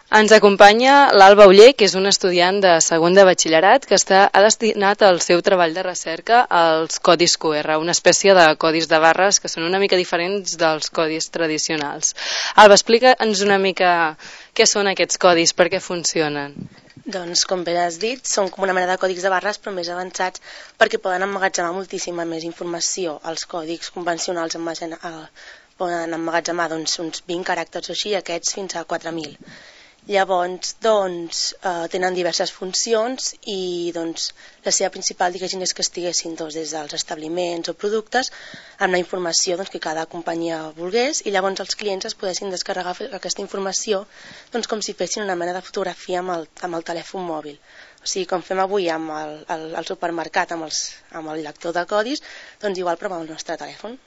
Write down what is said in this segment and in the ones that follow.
Ens acompanya l'Alba Oller, que és un estudiant de segon de batxillerat que ha destinat el seu treball de recerca als codis QR, una espècie de codis de barres que són una mica diferents dels codis tradicionals. Alba, explica'ns una mica què són aquests codis, per què funcionen. Doncs, com bé has dit, són com una mena de còdics de barres però més avançats perquè poden emmagatzemar moltíssima més informació. Els còdics convencionals poden emmagatzemar uns 20 caràcters o així, aquests fins a 4.000. Llavors, tenen diverses funcions i la seva principal, és que estiguessin des dels establiments o productes amb la informació que cada companyia volgués i llavors els clients es poguessin descarregar aquesta informació com si fessin una mena de fotografia amb el telèfon mòbil. O sigui, com fem avui amb el supermercat, amb el lector de codis, igual però amb el nostre telèfon.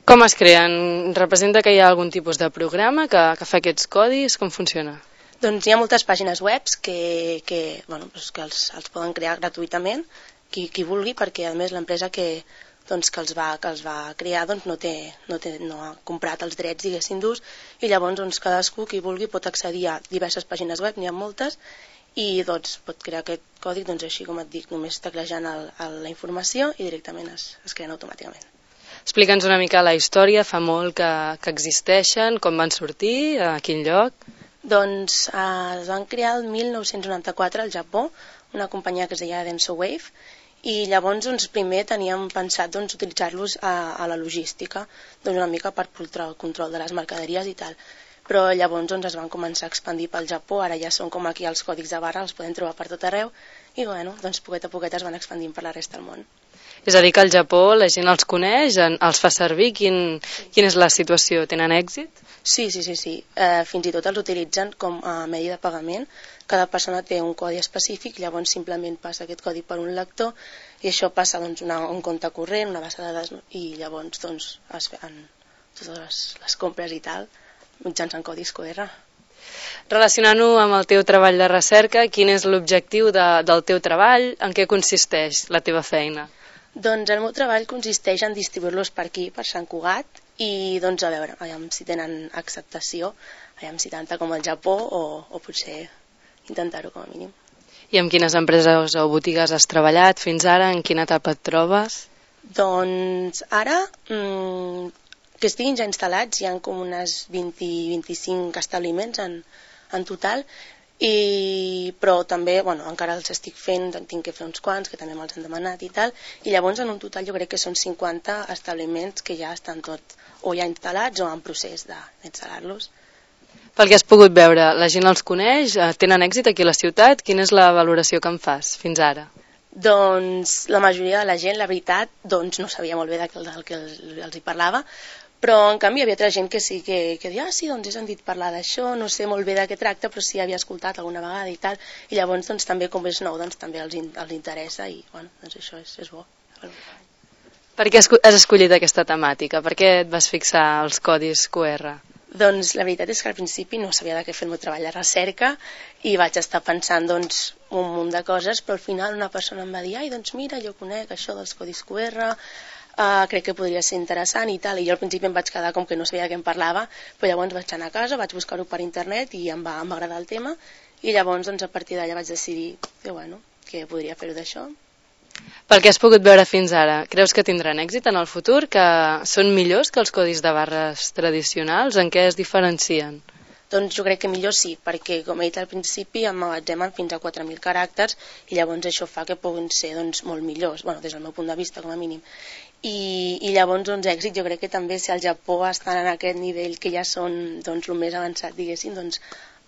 Com es creen? Representa que hi ha algun tipus de programa que fa aquests codis? Com funciona? Doncs hi ha moltes pàgines web que els poden crear gratuïtament, qui vulgui, perquè a més l'empresa que els va crear no ha comprat els drets, diguéssim, d'ús, i llavors cadascú, qui vulgui, pot accedir a diverses pàgines web, n'hi ha moltes, i pot crear aquest codi, així com et dic, només teclejant la informació i directament es creen automàticament. Explica'ns una mica la història, fa molt que existeixen, com van sortir, a quin lloc? Doncs es van crear el 1994 al Japó, una companyia que es deia DensoWave, i llavors primer teníem pensat utilitzar-los a la logística, una mica per el control de les mercaderies i tal. Però llavors es van començar a expandir pel Japó, ara ja són com aquí els còdics de barra, els podem trobar per tot arreu, i poquet a poquet es van expandint per la resta del món. És a dir, que al Japó la gent els coneix, els fa servir, quina és la situació? Tenen èxit? Sí. Fins i tot els utilitzen com a medi de pagament. Cada persona té un codi específic, llavors simplement passa aquest codi per un lector i això passa un compte corrent, una base de dades, i llavors es fan totes les compres i tal mitjançant codis QR. Relacionant-ho amb el teu treball de recerca, quin és l'objectiu del teu treball? En què consisteix la teva feina? Doncs el meu treball consisteix en distribuir-los per aquí, per Sant Cugat, i a veure, si tenen acceptació, si tanta com el Japó, o potser intentar-ho com a mínim. I amb quines empreses o botigues has treballat fins ara? En quina etapa et trobes? Doncs ara, que estiguin ja instal·lats, hi ha com unes 20-25 establiments en total, però també encara els estic fent, tinc que fer uns quants que també me'ls han demanat i tal, i llavors en un total jo crec que són 50 establiments que ja estan o ja instal·lats o en procés d'instal·lar-los. Pel que has pogut veure, la gent els coneix? Tenen èxit aquí a la ciutat? Quina és la valoració que en fas fins ara? Doncs la majoria de la gent, la veritat, no sabia molt bé del que els hi parlava, però en canvi hi havia altra gent que sí, que deia, sí, he sentit parlar d'això, no sé molt bé de què tracta, però sí havia escoltat alguna vegada i tal, i llavors també com és nou, també els interessa i això és bo. Per què has escollit aquesta temàtica? Per què et vas fixar als codis QR? Doncs la veritat és que al principi no sabia de què fer el meu treball de recerca i vaig estar pensant un munt de coses, però al final una persona em va dir, mira, jo conec això dels codis QR, crec que podria ser interessant i tal, i jo al principi em vaig quedar com que no sabia de què em parlava, però llavors vaig anar a casa, vaig buscar-ho per internet i em va agradar el tema, i llavors a partir d'allà vaig decidir que podria fer-ho d'això. Pel que has pogut veure fins ara, creus que tindran èxit en el futur, que són millors que els codis de barres tradicionals? En què es diferencien? Doncs jo crec que millor sí, perquè com he dit al principi emmagatzemen fins a 4.000 caràcters i llavors això fa que puguin ser molt millors, des del meu punt de vista com a mínim. I llavors èxit jo crec que també si al Japó estan en aquest nivell que ja són el més avançat, diguéssim,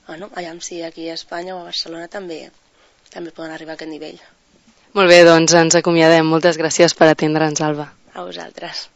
aviam si aquí a Espanya o a Barcelona també poden arribar a aquest nivell. Molt bé, doncs ens acomiadem. Moltes gràcies per atendre'ns, Alba. A vosaltres.